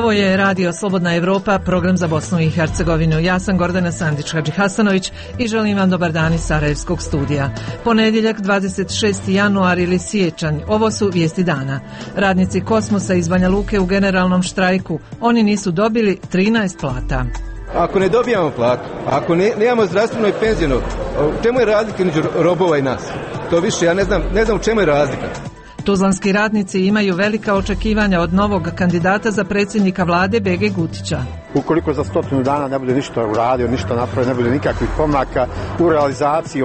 Ovo je Radio Slobodna Evropa, program za Bosnu i Hercegovinu. Ja sam Gordana Sandić-Hadžihasanović i želim vam dobar dan iz Sarajevskog studija. Ponedjeljak, 26. januar ili siječanj. Ovo su vijesti dana. Radnici Kosmosa iz Banja Luke u generalnom štrajku. Oni nisu dobili 13 plata. Ako ne dobijamo platu, ako nemamo zdravstveno i penzijno, u čemu je razlika među robova i nas? To više, ja ne znam u čemu je razlika. Tuzlanski radnici imaju velika očekivanja od novog kandidata za predsjednika vlade Bege Gutića. Ukoliko za 100 dana ne bude ništa uradio, ništa napravio, ne bude nikakvih pomaka u realizaciji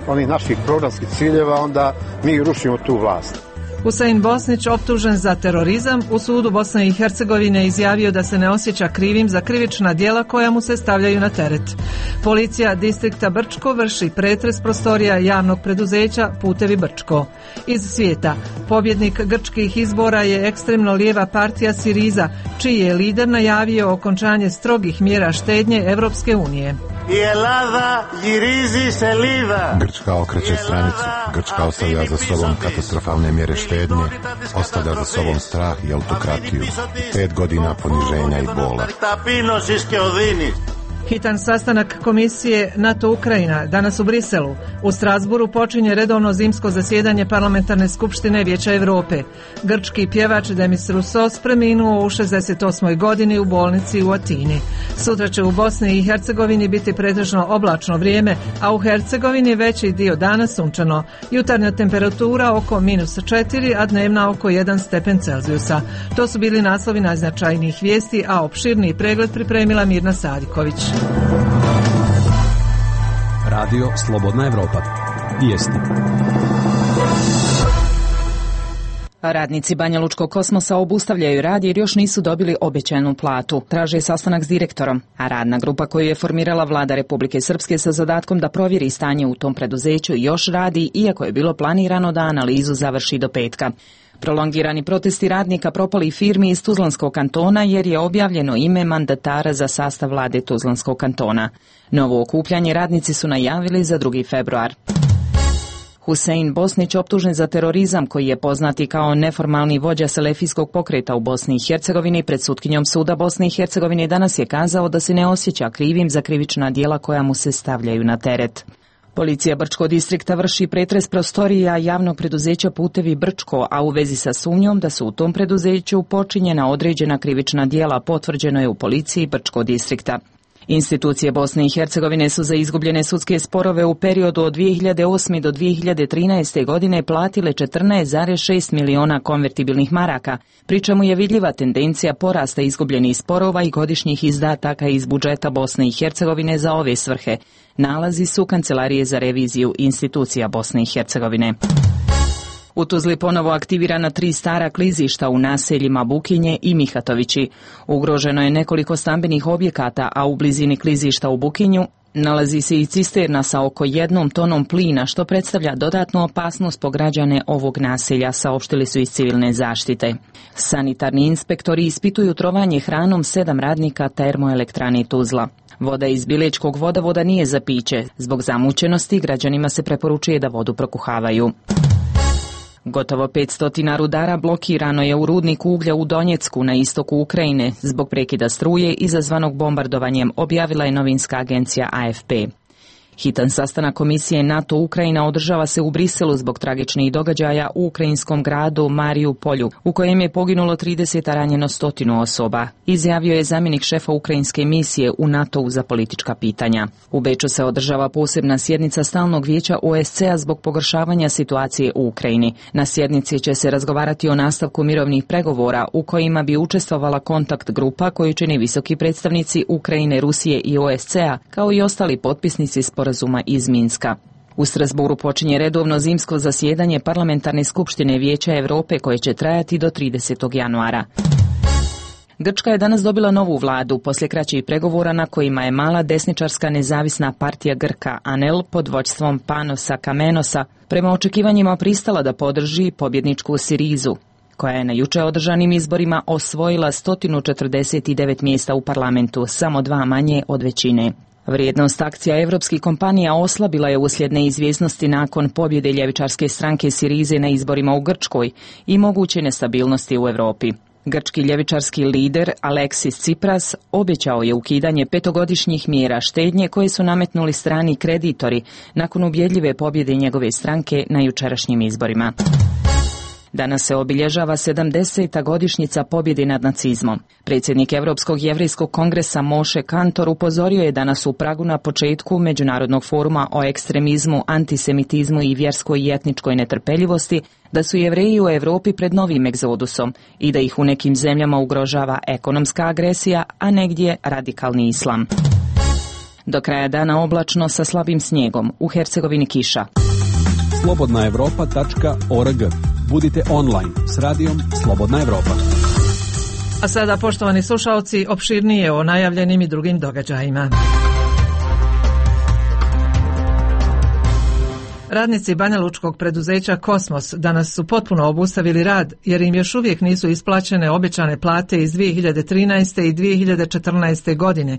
onih naših programskih ciljeva, onda mi rušimo tu vlast. Husein Bosnić, optužen za terorizam, u sudu Bosne i Hercegovine izjavio da se ne osjeća krivim za krivična djela koja mu se stavljaju na teret. Policija distrikta Brčko vrši pretres prostorija javnog preduzeća Putevi Brčko. Iz svijeta, pobjednik grčkih izbora je ekstremno lijeva partija Siriza, čiji je lider najavio okončanje strogih mjera štednje Evropske unije. Grčka okreće stranicu. Grčka ostavlja za sobom katastrofalne mjere štednje, ostavlja za sobom strah i autokratiju. 5 godina poniženja i bola. Hitan sastanak komisije NATO-Ukrajina danas u Briselu. U Strasburu počinje redovno zimsko zasjedanje Parlamentarne skupštine Vijeća Europe. Grčki pjevač Demis Roussos preminuo u 68. godini u bolnici u Atini. Sutra će u Bosni i Hercegovini biti pretežno oblačno vrijeme, a u Hercegovini veći dio dana sunčano. Jutarnja temperatura oko -4, a dnevna oko 1 stepen Celzijusa. To su bili naslovi najznačajnijih vijesti, a opširniji pregled pripremila Mirna Sadiković. Radio Slobodna Evropa. Vijesti. Radnici Banja Lučkog Kosmosa obustavljaju rad jer još nisu dobili obećanu platu. Traže sastanak s direktorom, a radna grupa koju je formirala vlada Republike Srpske sa zadatkom da provjeri stanje u tom preduzeću još radi, iako je bilo planirano da analizu završi do petka. Prolongirani protesti radnika propalih firmi iz Tuzlanskog kantona jer je objavljeno ime mandatara za sastav vlade Tuzlanskog kantona. Novo okupljanje radnici su najavili za 2. februar. Husein Bosnić, optužen za terorizam koji je poznati kao neformalni vođa selefijskog pokreta u Bosni i Hercegovini, pred sutkinjom suda Bosne i Hercegovine danas je kazao da se ne osjeća krivim za krivična djela koja mu se stavljaju na teret. Policija Brčkog distrikta vrši pretres prostorija javnog preduzeća Putevi Brčko, a u vezi sa sumnjom da su u tom preduzeću počinjena određena krivična djela potvrđeno je u policiji Brčkog distrikta. Institucije Bosne i Hercegovine su za izgubljene sudske sporove u periodu od 2008. do 2013. godine platile 14,6 miliona konvertibilnih maraka, pri čemu je vidljiva tendencija porasta izgubljenih sporova i godišnjih izdataka iz budžeta Bosne i Hercegovine za ove svrhe. Nalazi su Kancelarije za reviziju institucija Bosne i Hercegovine. U Tuzli ponovo aktivirana 3 stara klizišta u naseljima Bukinje i Mihatovići. Ugroženo je nekoliko stambenih objekata, a u blizini klizišta u Bukinju nalazi se i cisterna sa oko 1 tonom plina, što predstavlja dodatnu opasnost po građane ovog naselja, saopštili su iz civilne zaštite. Sanitarni inspektori ispituju trovanje hranom 7 radnika termoelektrane Tuzla. Voda iz Bilečkog vodovoda nije za piće. Zbog zamućenosti građanima se preporučuje da vodu prokuhavaju. Gotovo 500 rudara blokirano je u rudniku uglja u Donjecku na istoku Ukrajine zbog prekida struje izazvanog bombardovanjem, objavila je novinska agencija AFP. Hitan sastanak komisije NATO-Ukrajina održava se u Briselu zbog tragičnih događaja u ukrajinskom gradu Marijupolju, u kojem je poginulo 30, a ranjeno 100 osoba, izjavio je zamjenik šefa ukrajinske misije u NATO-u za politička pitanja. U Beču se održava posebna sjednica stalnog vijeća OSCE-a zbog pogoršavanja situacije u Ukrajini. Na sjednici će se razgovarati o nastavku mirovnih pregovora u kojima bi učestvovala kontakt grupa koju čini visoki predstavnici Ukrajine, Rusije i OSCE-a, kao i ostali potpisnici sporazuma iz Minska. U Strasburu počinje redovno zimsko zasjedanje Parlamentarne skupštine Vijeća Europe koje će trajati do 30. januara. Grčka je danas dobila novu vladu poslije kraćih pregovora na kojima je mala desničarska nezavisna partija Grka ANEL pod vođstvom Panosa Kamenosa prema očekivanjima pristala da podrži pobjedničku Sirizu, koja je na juče održanim izborima osvojila 149 mjesta u parlamentu, samo 2 manje od većine. Vrijednost akcija evropskih kompanija oslabila je uslijed neizvjesnosti nakon pobjede ljevičarske stranke Sirize na izborima u Grčkoj i moguće nestabilnosti u Europi. Grčki ljevičarski lider Aleksis Tsipras obećao je ukidanje 5-godišnjih mjera štednje koje su nametnuli strani kreditori nakon ubjedljive pobjede njegove stranke na jučerašnjim izborima. Danas se obilježava 70. godišnjica pobjede nad nacizmom. Predsjednik Europskog jevrejskog kongresa Moshe Kantor upozorio je danas u Pragu na početku Međunarodnog foruma o ekstremizmu, antisemitizmu i vjerskoj i etničkoj netrpeljivosti da su Jevreji u Europi pred novim egzodusom i da ih u nekim zemljama ugrožava ekonomska agresija, a negdje radikalni islam. Do kraja dana oblačno sa slabim snijegom, u Hercegovini kiša. slobodnaevropa.org. Budite online s radijom Slobodna Evropa. A sada, poštovani slušalci, opširnije o najavljenim i drugim događajima. Radnici banjalučkog preduzeća Kosmos danas su potpuno obustavili rad jer im još uvijek nisu isplaćene obećane plate iz 2013. i 2014. godine.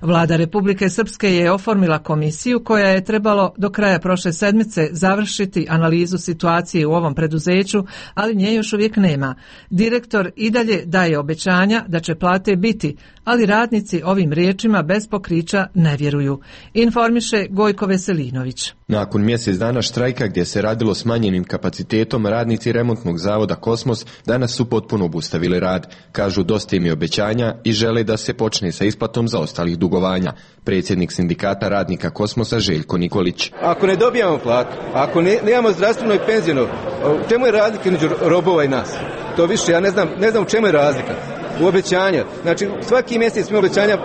Vlada Republike Srpske je oformila komisiju koja je trebalo do kraja prošle sedmice završiti analizu situacije u ovom preduzeću, ali nje još uvijek nema. Direktor i dalje daje obećanja da će plate biti, ali radnici ovim riječima bez pokrića ne vjeruju. Informiše Gojko Veselinović. Nakon mjesec dana štrajka gdje se radilo smanjenim kapacitetom, radnici remontnog zavoda Kosmos danas su potpuno obustavili rad. Kažu dosta im je obećanja i žele da se počne sa isplatom zaostalih dugovanja. Predsjednik sindikata radnika Kosmosa Željko Nikolić. Ako ne dobijamo platu, ako nemamo zdravstveno i penzijno, u čemu je razlika među robova i nas? To više, ja ne znam u čemu je razlika. U obećanja. Znači, svaki mjesec smo obećanja,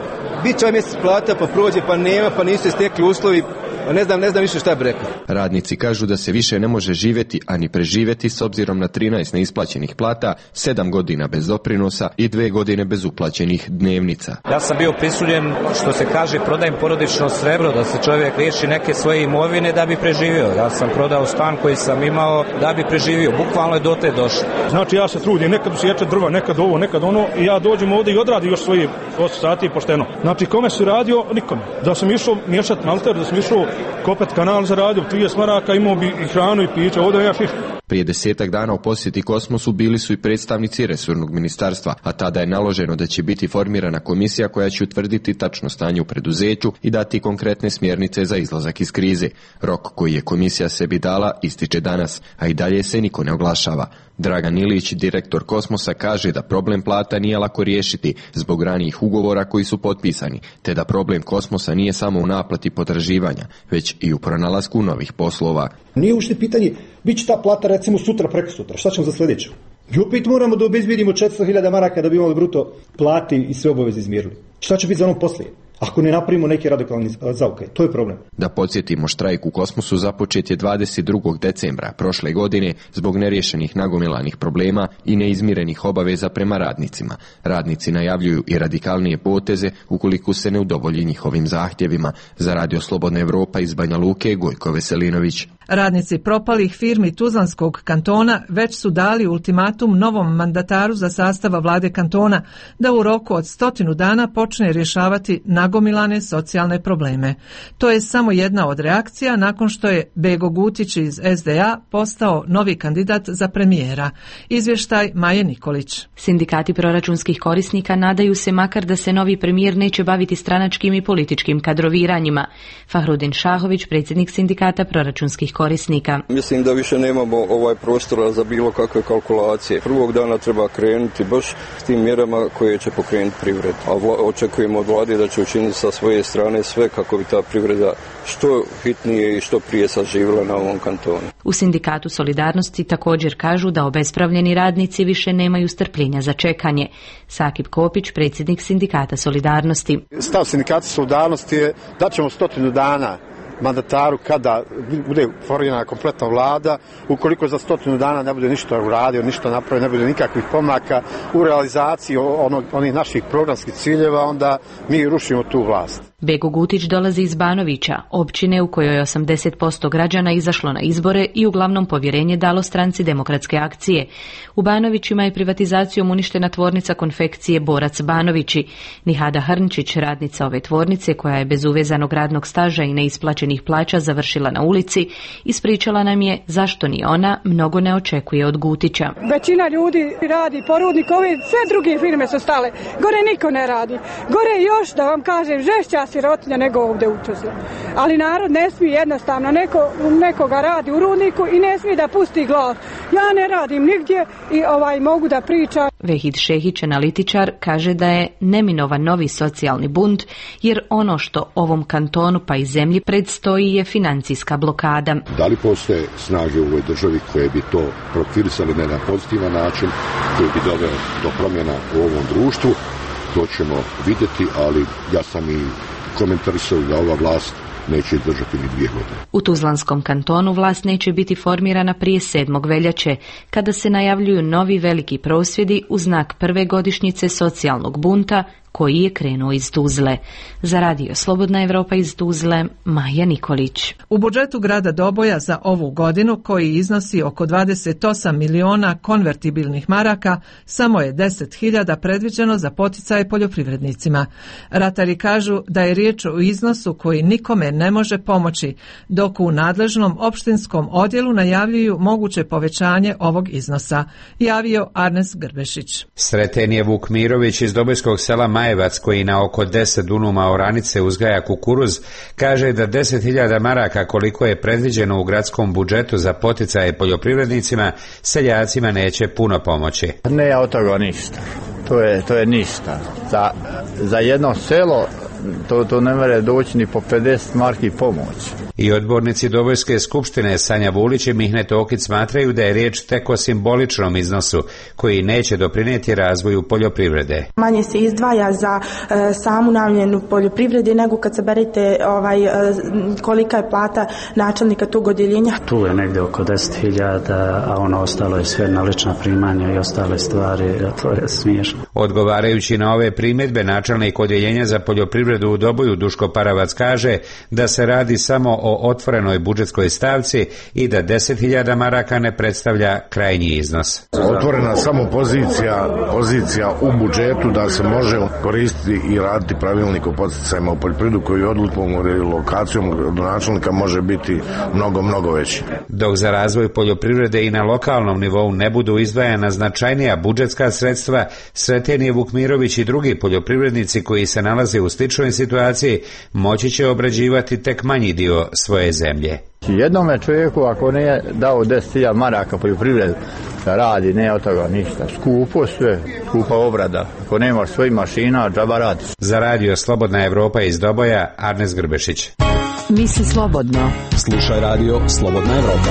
bit će ovaj mjesec plata, pa prođe, pa nema, pa nisu se stekli uslovi, ne znam više šta bi rekao. Radnici kažu da se više ne može živjeti, ani preživjeti s obzirom na 13 neisplaćenih plata, 7 godina bez doprinosa i 2 godine bez uplaćenih dnevnica. Ja sam bio prisiljen, što se kaže, prodajem porodično srebro, da se čovjek liješi neke svoje imovine da bi preživio. Ja sam prodao stan koji sam imao da bi preživio. Bukvalno je dotle došlo. Znači, ja se trudim, nekad sječe drva, nekad ovo, nekad ono, i ja dođem ovdje i odradim još svoje 8 sati pošteno. Znači, kome si radio? Nikome. Da sam išao miješati malter, da sam išao kopet kanal za radio, 30 maraka, imao bi i hranu i piće, ovdje ja fiš. Prije 10 dana u posjeti Kosmosu bili su i predstavnici resornog ministarstva, a tada je naloženo da će biti formirana komisija koja će utvrditi tačno stanje u preduzeću i dati konkretne smjernice za izlazak iz krize. Rok koji je komisija sebi dala ističe danas, a i dalje se niko ne oglašava. Dragan Ilić, direktor Kosmosa, kaže da problem plata nije lako riješiti zbog ranijih ugovora koji su potpisani, te da problem Kosmosa nije samo u naplati potraživanja, već i u pronalasku novih poslova. Nije uopšte pitanje, bit će ta plata recimo sutra, prekosutra, šta ćemo za sljedeću? I opet moramo da obezbjedimo 400.000 maraka da bi imali bruto plati i sve obaveze izmirili. Šta će biti za onom poslije? Ako ne napravimo neki radikalni zaokret, to je problem. Da podsjetimo, štrajk u Kosmosu započet je 22. decembra prošle godine zbog neriješenih nagomilanih problema i neizmirenih obaveza prema radnicima. Radnici najavljuju i radikalnije poteze ukoliko se ne udovolji njihovim zahtjevima. Za Radio Slobodna Evropa iz Banja Luke, Gojko Veselinović. Radnici propalih firmi Tuzlanskog kantona već su dali ultimatum novom mandataru za sastava vlade kantona da u roku od 100 dana počne rješavati nagomilane socijalne probleme. To je samo jedna od reakcija nakon što je Bego Gutić iz SDA postao novi kandidat za premijera. Izvještaj Maje Nikolić. Sindikati proračunskih korisnika nadaju se makar da se novi premijer neće baviti stranačkim i političkim kadroviranjima. Fahrudin Šahović, predsjednik sindikata proračunskih korisnika. Mislim da više nemamo prostora za bilo kakve kalkulacije. Prvog dana treba krenuti baš s tim mjerama koje će pokrenuti privredu. A očekujemo od vlade da će učiniti sa svoje strane sve kako bi ta privreda što hitnije i što prije saživjela na ovom kantonu. U sindikatu Solidarnosti također kažu da obespravljeni radnici više nemaju strpljenja za čekanje. Sakip Kopić, predsjednik sindikata Solidarnosti. Stav sindikata Solidarnosti je da ćemo 100 dana mandataru kada bude formirana kompletna vlada, ukoliko za 100 dana ne bude ništa uradio, ništa napravio, ne bude nikakvih pomaka u realizaciji onih naših programskih ciljeva, onda mi rušimo tu vlast. Bego Gutić dolazi iz Banovića, općine u kojoj 80% građana izašlo na izbore i uglavnom povjerenje dalo stranci Demokratske akcije. U Banovićima je privatizacijom uništena tvornica konfekcije Borac Banovići. Nihada Hrnčić, radnica ove tvornice koja je bez uvezanog radnog staža i neisplaćenih plaća završila na ulici, ispričala nam je zašto ni ona mnogo ne očekuje od Gutića. Većina ljudi radi porudnik, ove sve druge firme su stale. Gore niko ne radi. Gore još, da vam kažem, žešća sirotinja nego ovdje u Tuzli. Ali narod ne smije jednostavno, nekoga radi u rudniku i ne smije da pusti glas. Ja ne radim nigdje i mogu da pričam. Vehid Šehić, analitičar, kaže da je neminovan novi socijalni bunt, jer ono što ovom kantonu pa i zemlji predstoji je financijska blokada. Da li postoje snage u ovoj državi koje bi to profilisali na jedan pozitivan način, koji bi doveo do promjena u ovom društvu? To ćemo vidjeti, ali ja sam i komentarisao da ova vlast neće izdržati ni 2 godine. U Tuzlanskom kantonu vlast neće biti formirana prije 7. veljače, kada se najavljuju novi veliki prosvjedi u znak prve godišnjice socijalnog bunta koji je krenuo iz Tuzle. Za radio Slobodna Evropa iz Tuzle, Maja Nikolić. U budžetu grada Doboja za ovu godinu, koji iznosi oko 28 miliona konvertibilnih maraka, samo je 10.000 predviđeno za poticaje poljoprivrednicima. Ratari kažu da je riječ o iznosu koji nikome ne može pomoći, dok u nadležnom opštinskom odjelu najavljuju moguće povećanje ovog iznosa, javio Arnes Grbešić. Sreten je Vuk Mirović iz Dobojskog sela Majevac, koji na oko 10 dunuma oranice uzgaja kukuruz, kaže da 10.000 maraka koliko je predviđeno u gradskom budžetu za poticaje poljoprivrednicima, seljacima neće puno pomoći. Ne, od toga ništa. To je ništa. Za jedno selo to ne mere doći ni po 50 marki pomoć. I odbornici Dobojske skupštine Sanja Vulić i Mihne Tokić smatraju da je riječ tek o simboličnom iznosu koji neće doprinijeti razvoju poljoprivrede. Manje se izdvaja za samu namjenu poljoprivrede nego kad saberete kolika je plata načelnika tog odjeljenja. Tu je negdje oko 10.000, a ono ostalo je sve na lična primanja i ostale stvari, to je smiješno. Odgovarajući na ove primjedbe, načelnik odjeljenja za poljoprivredu u Doboju Duško Paravac kaže da se radi samo o otvorenoj budžetskoj stavci i da 10.000 maraka ne predstavlja krajnji iznos. Otvorena samo pozicija u budžetu da se može koristiti i raditi pravilnik o podsticajima u poljoprivredu koji odlukom ili lokacijom do načelnika može biti mnogo veći. Dok za razvoj poljoprivrede i na lokalnom nivou ne budu izdvajana značajnija budžetska sredstva, Sreten je Vukmirović i drugi poljoprivrednici koji se nalaze u sličnoj situaciji moći će obrađivati tek manji dio svoje zemlje. Jednome čovjeku ako nije dao 10.000 maraka poljoprivredu da radi, ne od toga ništa. Skupo sve, skupa obrada. Ako nemaš svojih mašina, džaba radiš. Za radio Slobodna Evropa iz Doboja, Arnes Grbešić. Misli slobodno. Slušaj radio Slobodna Evropa.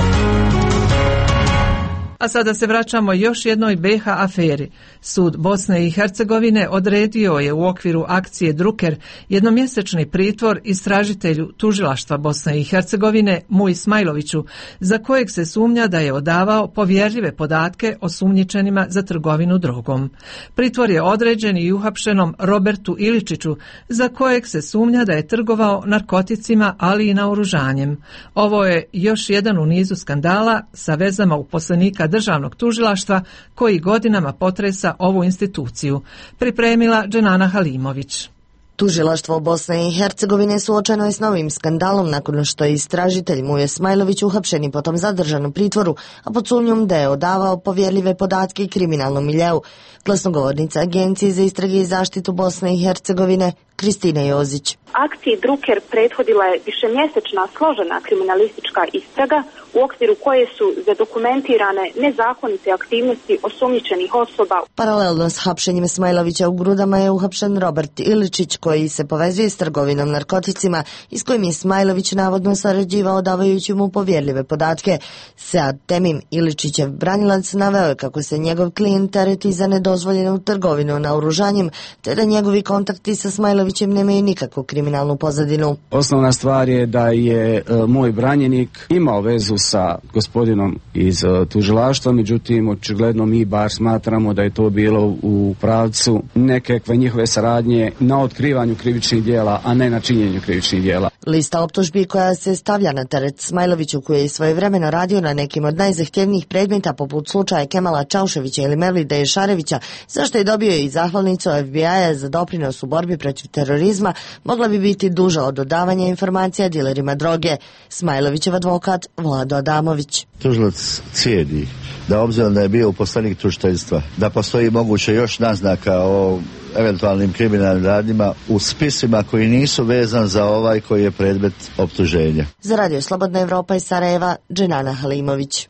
A sada se vraćamo još jednoj BiH aferi. Sud Bosne i Hercegovine odredio je u okviru akcije Drucker jednomjesečni pritvor istražitelju tužilaštva Bosne i Hercegovine Muji Smajloviću, za kojeg se sumnja da je odavao povjerljive podatke o sumnjičenima za trgovinu drogom. Pritvor je određen i uhapšenom Robertu Iličiću, za kojeg se sumnja da je trgovao narkoticima, ali i naoružanjem. Ovo je još jedan u nizu skandala sa vezama uposlenika državnog tužilaštva koji godinama potresa ovu instituciju. Pripremila Dženana Halimović. Tužilaštvo Bosne i Hercegovine suočeno je s novim skandalom nakon što je istražitelj Muje Smajlović uhapšen i potom zadržan u pritvoru, a pod sumnjom da je odavao povjerljive podatke i kriminalnom miljeu. Glasnogovornica Agencije za istrage i zaštitu Bosne i Hercegovine Kristina Jozić. Akciji Drucker prethodila je višemjesečna složena kriminalistička istraga u okviru koje su zadokumentirane nezakonite aktivnosti osumnjičenih osoba. Paralelno s hapšenjem Smajlovića u Grudama je uhapšen Robert Iličić, koji se povezuje s trgovinom narkoticima i s kojim je Smajlović navodno sarađivao davajući mu povjerljive podatke. Sead Temim, Iličićev branilac, naveo je kako se njegov klijent tereti za nedozvoljenu trgovinu naoružanjem, te da njegovi kontakti sa Smajlovićem nemaju nikakvu kriminalističku kriminalnu pozadinu. Osnovna stvar je da je moj branjenik imao vezu sa gospodinom iz tužilaštva, međutim očigledno mi bar smatramo da je to bilo u pravcu nekakve njihove saradnje na otkrivanju krivičnih djela, a ne na činjenju krivičnih djela. Lista optužbi koja se stavlja na teret Smajloviću, koji je svojevremeno radio na nekim od najzahtjevnijih predmeta poput slučaja Kemala Čauševića ili Mevlida Ješarevića, zašto je dobio i zahvalnicu FBI-a za doprinos u borbi protiv terorizma, mogla bi biti duža od dodavanja informacija dilerima droge. Smajlovićev advokat Vlado Adamović. Tužilac cijedi da obzirom da je bio uposlenik tužiteljstva, da postoji moguće još naznaka o eventualnim kriminalnim radnjima u spisima koji nisu vezan za ovaj koji je predmet optuženja. Za Radio Slobodna Evropa iz Sarajeva, Dženana Halimović.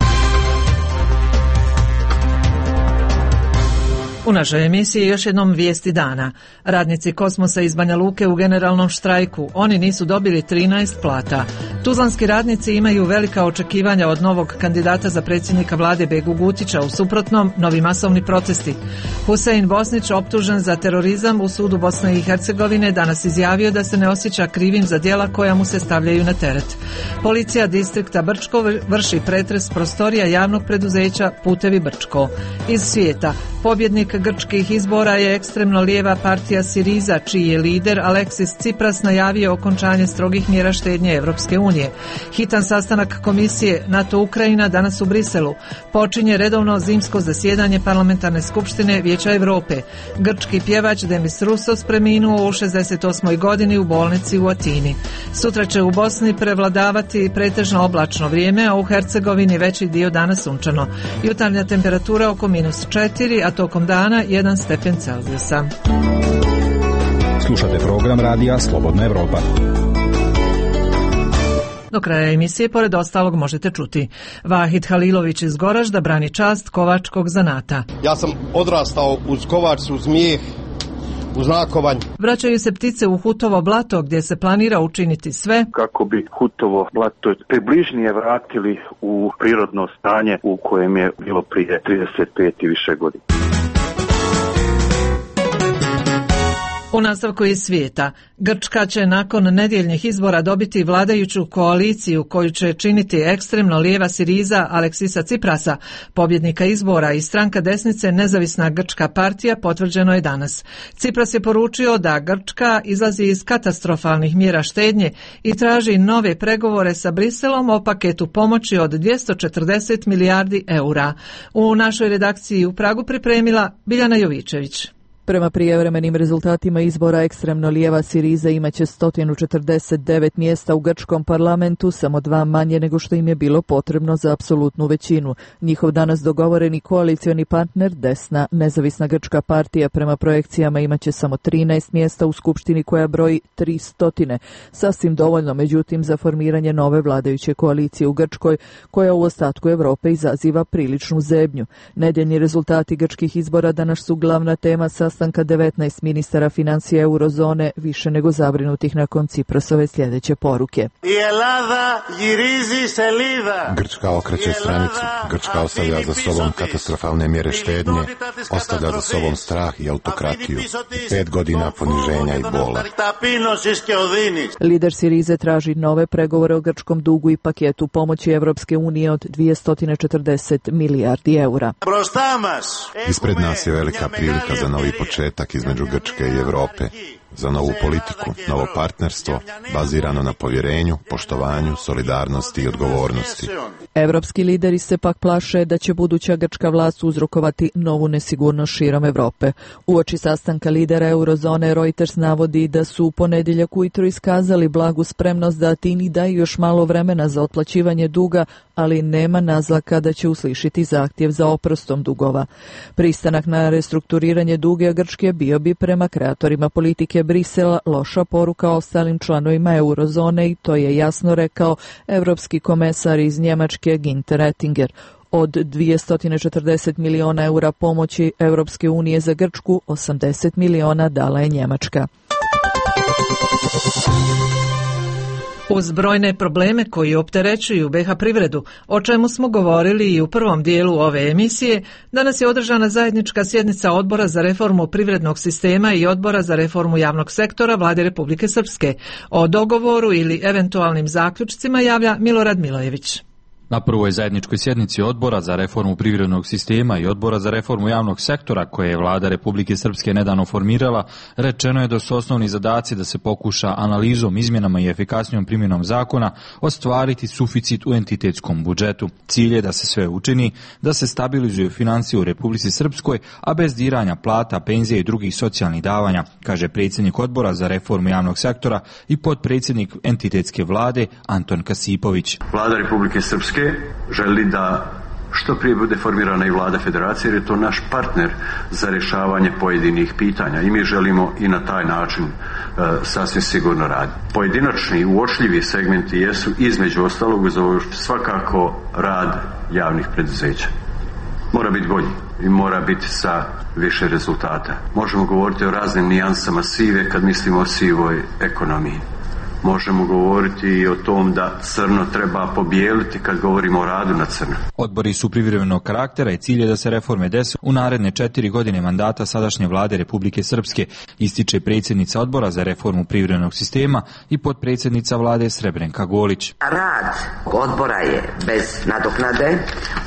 U našoj emisiji još jednom vijesti dana. Radnici Kosmosa iz Banja Luke u generalnom štrajku. Oni nisu dobili 13 plata. Tuzlanski radnici imaju velika očekivanja od novog kandidata za predsjednika vlade Begu Gutića. U suprotnom, novi masovni protesti. Husein Bosnić, optužen za terorizam u sudu Bosne i Hercegovine, danas izjavio da se ne osjeća krivim za djela koja mu se stavljaju na teret. Policija distrikta Brčko vrši pretres prostorija javnog preduzeća Putevi Brčko. Iz svijeta, pobjednik grčkih izbora je ekstremno lijeva partija Siriza, čiji je lider Aleksis Tsipras najavio okončanje strogih mjera štednje Evropske unije. Hitan sastanak komisije NATO-Ukrajina danas u Briselu. Počinje redovno zimsko zasjedanje parlamentarne skupštine Vijeća Europe. Grčki pjevač Demis Roussos preminuo u 68. godini u bolnici u Atini. Sutra će u Bosni prevladavati pretežno oblačno vrijeme, a u Hercegovini veći dio dana sunčano. Jutarnja temperatura oko -4, a tokom dana 1 stepen Celzijusa. Slušate program radija Slobodna Evropa. Do kraja emisije, pored ostalog, možete čuti: Vahid Halilović iz Goražda brani čast kovačkog zanata. Ja sam odrastao uz kovač, uz mijeh, uz nakovanj. Vraćaju se ptice u Hutovo blato, gdje se planira učiniti sve kako bi Hutovo blato približnije vratili u prirodno stanje u kojem je bilo prije 35 i više godina. U nastavku iz svijeta, Grčka će nakon nedjeljnih izbora dobiti vladajuću koaliciju koju će činiti ekstremno lijeva Siriza Aleksisa Tsiprasa, pobjednika izbora, i stranka desnice Nezavisna grčka partija, potvrđeno je danas. Tsipras je poručio da Grčka izlazi iz katastrofalnih mjera štednje i traži nove pregovore sa Briselom o paketu pomoći od 240 milijardi eura. U našoj redakciji u Pragu pripremila Biljana Jovičević. Prema prijevremenim rezultatima izbora, ekstremno lijeva Siriza imaće 149 mjesta u grčkom parlamentu, samo 2 manje nego što im je bilo potrebno za apsolutnu većinu. Njihov danas dogovoreni koalicioni partner, desna Nezavisna grčka partija, prema projekcijama imaće samo 13 mjesta u skupštini koja broji 300. Sasvim dovoljno, međutim, za formiranje nove vladajuće koalicije u Grčkoj, koja u ostatku Europe izaziva priličnu zebnju. Nedjeljni rezultati grčkih izbora danas su glavna tema sastanka 19 ministara financija eurozone, više nego zabrinutih nakon Tsiprasove sljedeće poruke. Grčka okreće stranicu. Grčka ostavlja za sobom katastrofalne mjere štednje, ostavlja za sobom strah i autokratiju, 5 godina poniženja i bola. Lider Sirize traži nove pregovore o grčkom dugu i paketu pomoći Evropske unije od 240 milijardi eura. Ispred nas je velika prilika za novi početak između Grčke i Europe, za novu politiku, novo partnerstvo, bazirano na povjerenju, poštovanju, solidarnosti i odgovornosti. Evropski lideri se pak plaše da će buduća grčka vlast uzrokovati novu nesigurnost širom Europe. Uoči sastanka lidera eurozone, Reuters navodi da su u ponedjeljak ujutro iskazali blagu spremnost da Atini daju još malo vremena za otplaćivanje duga, ali nema naznaka da će uslišiti zahtjev za oprostom dugova. Pristanak na restrukturiranje duga Grčke bio bi prema kreatorima politike Brisela loša poruka ostalim članovima eurozone, i to je jasno rekao evropski komesar iz Njemačke Günther Oettinger. Od 240 miliona eura pomoći Evropske unije za Grčku, 80 miliona dala je Njemačka. Uz brojne probleme koji opterećuju BiH privredu, o čemu smo govorili i u prvom dijelu ove emisije, danas je održana zajednička sjednica Odbora za reformu privrednog sistema i Odbora za reformu javnog sektora Vlade Republike Srpske. O dogovoru ili eventualnim zaključcima javlja Milorad Milojević. Na prvoj zajedničkoj sjednici Odbora za reformu privrednog sistema i Odbora za reformu javnog sektora, koje je Vlada Republike Srpske nedavno formirala, rečeno je da su osnovni zadaci da se pokuša analizom, izmjenama i efikasnijom primjenom zakona ostvariti suficit u entitetskom budžetu. Cilj je da se sve učini, da se stabilizuju financije u Republici Srpskoj, a bez diranja plata, penzija i drugih socijalnih davanja, kaže predsjednik Odbora za reformu javnog sektora i potpredsjednik entitetske vlade Anton Kasipović. Vlada Republike Srpske želi da što prije bude formirana i vlada federacije, jer je to naš partner za rješavanje pojedinih pitanja i mi želimo i na taj način sasvim sigurno raditi. Pojedinačni uočljivi segmenti jesu između ostalog svakako rad javnih preduzeća. Mora biti bolji i mora biti sa više rezultata. Možemo govoriti o raznim nijansama sive kad mislimo o sivoj ekonomiji. Možemo govoriti i o tom da crno treba pobijeliti kad govorimo o radu na crno. Odbori su privremenog karaktera i cilj je da se reforme dese u naredne 4 godine mandata sadašnje vlade Republike Srpske, ističe predsjednica Odbora za reformu privrednog sistema i potpredsjednica vlade Srebrenka Golić. Rad odbora je bez nadoknade.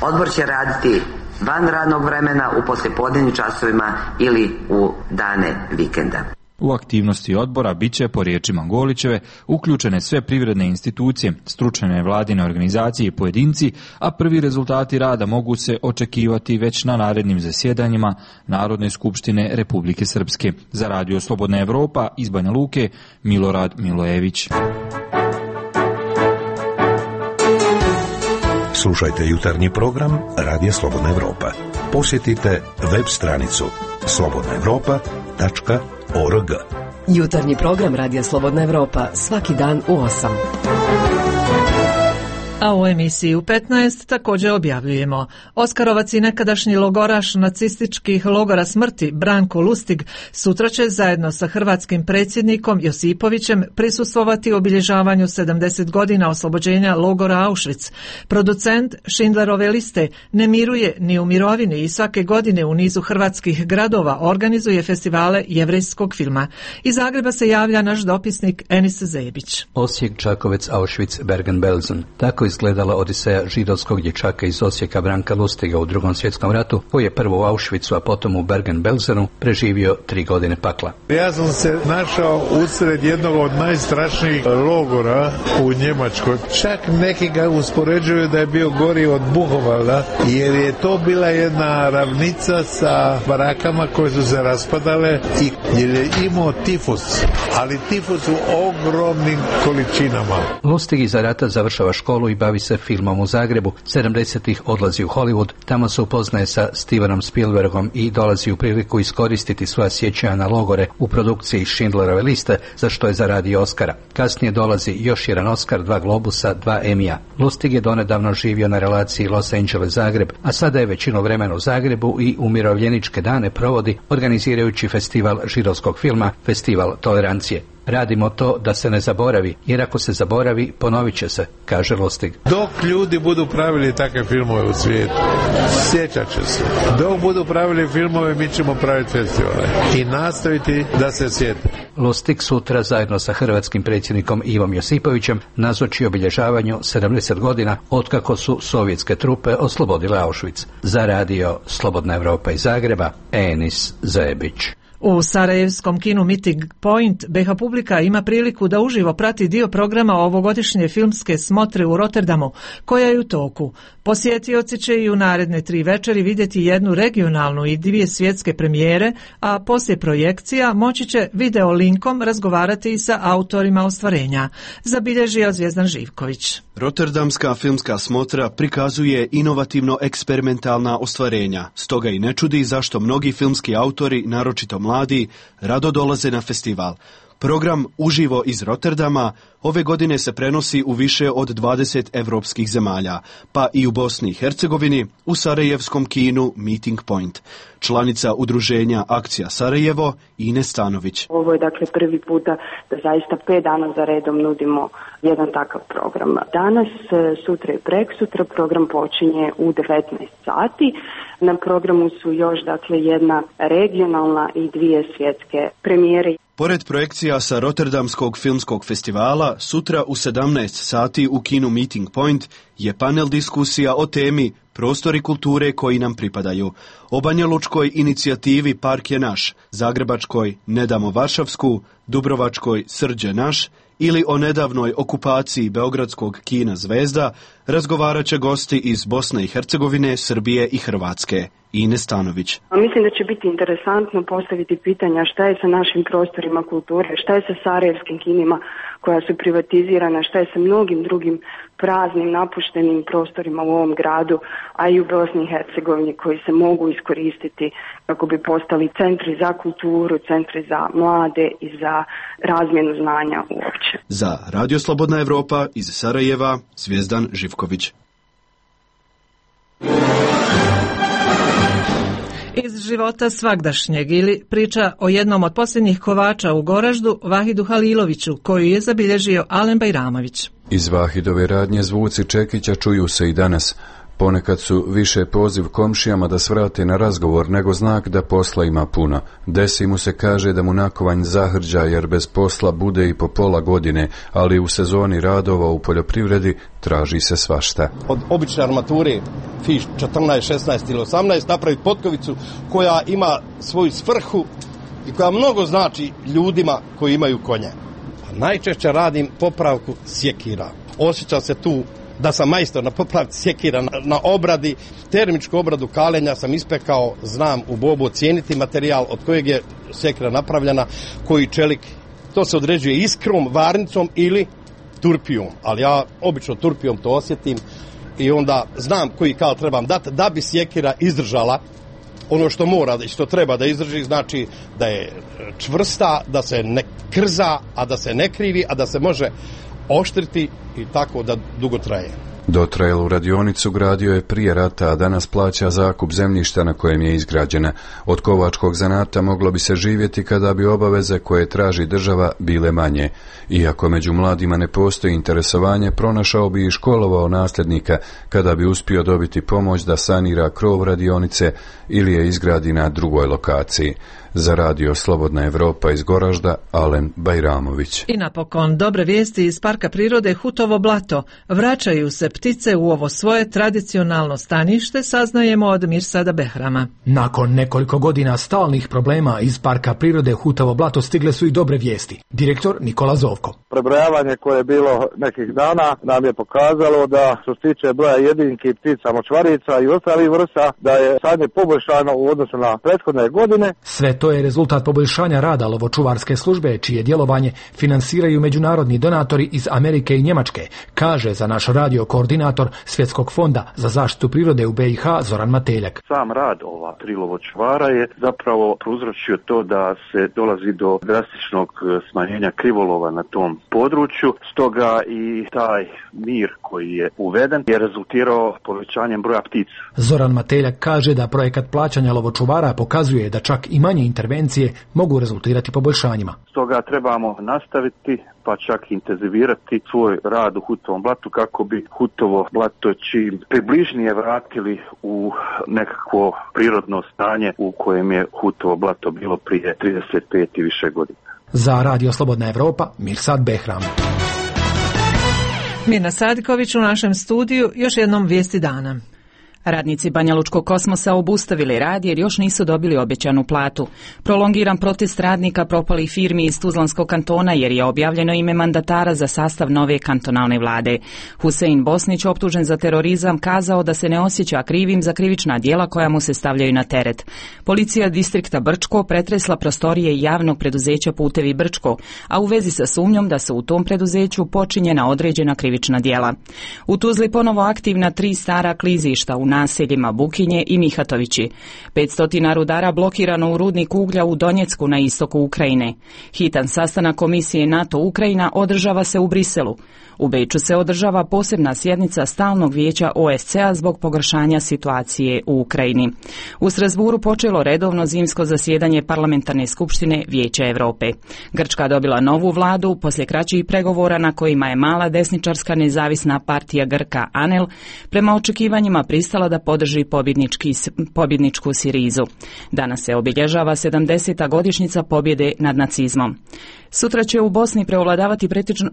Odbor će raditi van radnog vremena, u poslijepodnevnim časovima ili u dane vikenda. U aktivnosti odbora bit će, po riječima Golićeve, uključene sve privredne institucije, stručne vladine organizacije i pojedinci, a prvi rezultati rada mogu se očekivati već na narednim zasjedanjima Narodne skupštine Republike Srpske. Za Radio Slobodna Evropa iz Banja Luke, Milorad Milojević. Slušajte jutarnji program Radija Slobodna Evropa. Posjetite web stranicu slobodnaevropa.org. Jutarnji program Radija Slobodna Evropa svaki dan u 8. A u emisiji u 15 također objavljujemo: Oskarovac i nekadašnji logoraš nacističkih logora smrti Branko Lustig sutra će zajedno sa hrvatskim predsjednikom Josipovićem prisustvovati obilježavanju 70 godina oslobođenja logora Auschwitz. Producent Schindlerove liste ne miruje ni u mirovini i svake godine u nizu hrvatskih gradova organizuje festivale jevrejskog filma. Iz Zagreba se javlja naš dopisnik Enis Zebić. Osijek, Čakovec, Auschwitz, Bergen-Belsen. Tako izgledala odiseja židovskog dječaka iz Osijeka Branka Lustiga u Drugom svjetskom ratu, koji je prvo u Auschwitzu, a potom u Bergen-Belsenu preživio 3 godine pakla. Ja sam se našao usred jednog od najstrašnijih logora u Njemačkoj. Čak neki ga uspoređuju da je bio gori od Buhovalda, jer je to bila jedna ravnica sa barakama koje su se raspadale i jer je imao tifus, ali tifus u ogromnim količinama. Lustig iza rata završava školu i bavi se filmom u Zagrebu. 70-ih odlazi u Hollywood, tamo se upoznaje sa Stevenom Spielbergom i dolazi u priliku iskoristiti svoja sjećanja na logore u produkciji Schindlerove liste, za što je zaradio Oscara. Kasnije dolazi još jedan Oscar, 2 Globusa, 2 Emija. Lustig je donedavno živio na relaciji Los Angeles-Zagreb, a sada je većinu vremena u Zagrebu i umirovljeničke dane provodi organizirajući festival židovskog filma, Festival tolerancije. Radimo to da se ne zaboravi, jer ako se zaboravi, ponovit će se, kaže Lustig. Dok ljudi budu pravili takve filmove u svijetu, sjećat će se. Dok budu pravili filmove, mi ćemo praviti festivale i nastaviti da se sjete. Lustig sutra zajedno sa hrvatskim predsjednikom Ivom Josipovićem nazoči obilježavanju 70 godina otkako su sovjetske trupe oslobodile Auschwitz. Za Radio Slobodna Evropa iz Zagreba, Enis Zebić. U sarajevskom kinu Meeting Point BiH publika ima priliku da uživo prati dio programa ovogodišnje filmske smotre u Rotterdamu, koja je u toku. Posjetioci će i u naredne 3 večeri vidjeti jednu regionalnu i 2 svjetske premijere, a poslije projekcija moći će video linkom razgovarati i sa autorima ostvarenja, zabilježio Zvjezdan Živković. Rotterdamska filmska smotra prikazuje inovativno eksperimentalna ostvarenja, stoga i ne čudi zašto mnogi filmski autori, naročito mladi, rado dolaze na festival. Program Uživo iz Rotterdama ove godine se prenosi u više od 20 evropskih zemalja, pa i u Bosni i Hercegovini u sarajevskom kinu Meeting Point. Članica udruženja Akcija Sarajevo, Ines Stanović. Ovo je dakle prvi puta da zaista 5 dana za redom nudimo jedan takav program. Danas, sutra i preksutra program počinje u 19 sati. Na programu su još dakle jedna regionalna i 2 svjetske premijere. Pored projekcija sa Rotterdamskog filmskog festivala, sutra u 17 sati u kinu Meeting Point je panel diskusija o temi Prostori kulture koji nam pripadaju, o banjalučkoj inicijativi Park je naš, zagrebačkoj Ne damo Varšavsku, dubrovačkoj Srđe naš ili o nedavnoj okupaciji beogradskog kina Zvezda, razgovarat će gosti iz Bosne i Hercegovine, Srbije i Hrvatske. Ines Stanović. Mislim da će biti interesantno postaviti pitanja šta je sa našim prostorima kulture, šta je sa sarajevskim kinima koja su privatizirana, šta je sa mnogim drugim praznim, napuštenim prostorima u ovom gradu, a i u Bosni i Hercegovini koji se mogu iskoristiti kako bi postali centri za kulturu, centri za mlade i za razmjenu znanja uopće. Za Radio Slobodna Evropa iz Sarajeva, Zvijezdan Živković. Iz života svagdašnjeg ili priča o jednom od posljednjih kovača u Goraždu, Vahidu Haliloviću, koju je zabilježio Alen Bajramović. Iz Vahidove radnje zvuci Čekića čuju se i danas. Ponekad su više poziv komšijama da svrate na razgovor nego znak da posla ima puno. Desi mu se kaže da mu nakovanj zahrđa jer bez posla bude i po pola godine, ali u sezoni radova u poljoprivredi traži se svašta. Od obične armature fiš 14, 16 ili 18 napraviti potkovicu koja ima svoju svrhu i koja mnogo znači ljudima koji imaju konje. A najčešće radim popravku sjekira. Osjećam se tu da sam majstor na popravci sjekira, na obradi, termičku obradu kalenja sam ispekao, znam u bobu ocijeniti materijal od kojeg je sjekira napravljena, koji čelik, to se određuje iskrom, varnicom ili turpijom, ali ja obično turpijom to osjetim i onda znam koji kal trebam dati da bi sjekira izdržala ono što mora i što treba da izdrži, znači da je čvrsta, da se ne krza, a da se ne krivi, a da se može oštriti i tako da dugo traje. Dotrajelu radionicu gradio je prije rata, a danas plaća zakup zemljišta na kojem je izgrađena. Od kovačkog zanata moglo bi se živjeti kada bi obaveze koje traži država bile manje. Iako među mladima ne postoji interesovanje, pronašao bi i školovao nasljednika kada bi uspio dobiti pomoć da sanira krov radionice ili je izgradi na drugoj lokaciji. Za Radio Slobodna Evropa iz Goražda, Alen Bajramović. I napokon dobre vijesti iz Parka prirode Hutovo blato. Vraćaju se ptice u ovo svoje tradicionalno stanište, saznajemo od Mirsada Behrama. Nakon nekoliko godina stalnih problema iz Parka prirode Hutovo blato stigle su i dobre vijesti. Direktor Nikola Zovko. Prebrojavanje koje je bilo nekih dana nam je pokazalo da što se tiče broja jedinki, ptica, močvarica i ostalih vrsta, da je stanje poboljšano u odnosu na prethodne godine. Sve to je rezultat poboljšanja rada lovočuvarske službe, čije djelovanje finansiraju međunarodni donatori iz Amerike i Njemačke, kaže za naš radio koordinator Svjetskog fonda za zaštitu prirode u BiH Zoran Mateljak. Sam rad ova 3 lovočuvara je zapravo prouzročio to da se dolazi do drastičnog smanjenja krivolova na tom području, stoga i taj mir koji je uveden je rezultirao povećanjem broja ptica. Zoran Mateljak kaže da projekat plaćanja lovočuvara pokazuje da čak i manje intervencije mogu rezultirati poboljšanjima. Stoga trebamo nastaviti pa čak intenzivirati svoj rad u Hutovom blatu kako bi Hutovo blato čim približnije vratili u nekakvo prirodno stanje u kojem je Hutovo blato bilo prije 35 i više godina. Za Radio Slobodna Evropa, Mirsad Behram. Mirna Sadiković u našem studiju, još jednom vijesti dana. Radnici Banjalučkog kosmosa obustavili rad jer još nisu dobili obećanu platu. Prolongiran protest radnika propalih firmi iz Tuzlanskog kantona jer je objavljeno ime mandatara za sastav nove kantonalne vlade. Husein Bosnić, optužen za terorizam, kazao da se ne osjeća krivim za krivična djela koja mu se stavljaju na teret. Policija distrikta Brčko pretresla prostorije javnog preduzeća Putevi Brčko, a u vezi sa sumnjom da su u tom preduzeću počinjena određena krivična djela. U Tuzli ponovo aktivna 3 stara klizišta u naseljima Bukinje i Mihatovići. 500 rudara blokirano u rudniku uglja u Donjecku na istoku Ukrajine. Hitan sastanak Komisije NATO-Ukrajina održava se u Briselu. U Beču se održava posebna sjednica Stalnog vijeća OSCE-a zbog pogoršanja situacije u Ukrajini. U Strasburu počelo redovno zimsko zasjedanje Parlamentarne skupštine Vijeća Europe. Grčka dobila novu vladu poslije kraćih pregovora na kojima je mala desničarska nezavisna partija Grka ANEL prema očekivanjima pristala da podrži pobjedničku Sirizu. Danas se obilježava 70. godišnjica pobjede nad nacizmom. Sutra će u Bosni prevladavati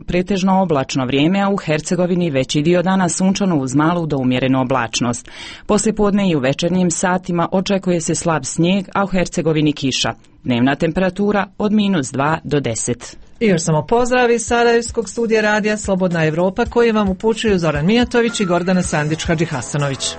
pretežno oblačno vrijeme, a u Hercegovini veći dio dana sunčano uz malu do umjerenu oblačnost. Poslijepodne i u večernjim satima očekuje se slab snijeg, a u Hercegovini kiša. Dnevna temperatura od -2 do 10. I još samo pozdrav iz Sarajevskog studija radija Slobodna Evropa koji vam upućuju Zoran Mijatović i Gordana Sandić-Hadžihasanović.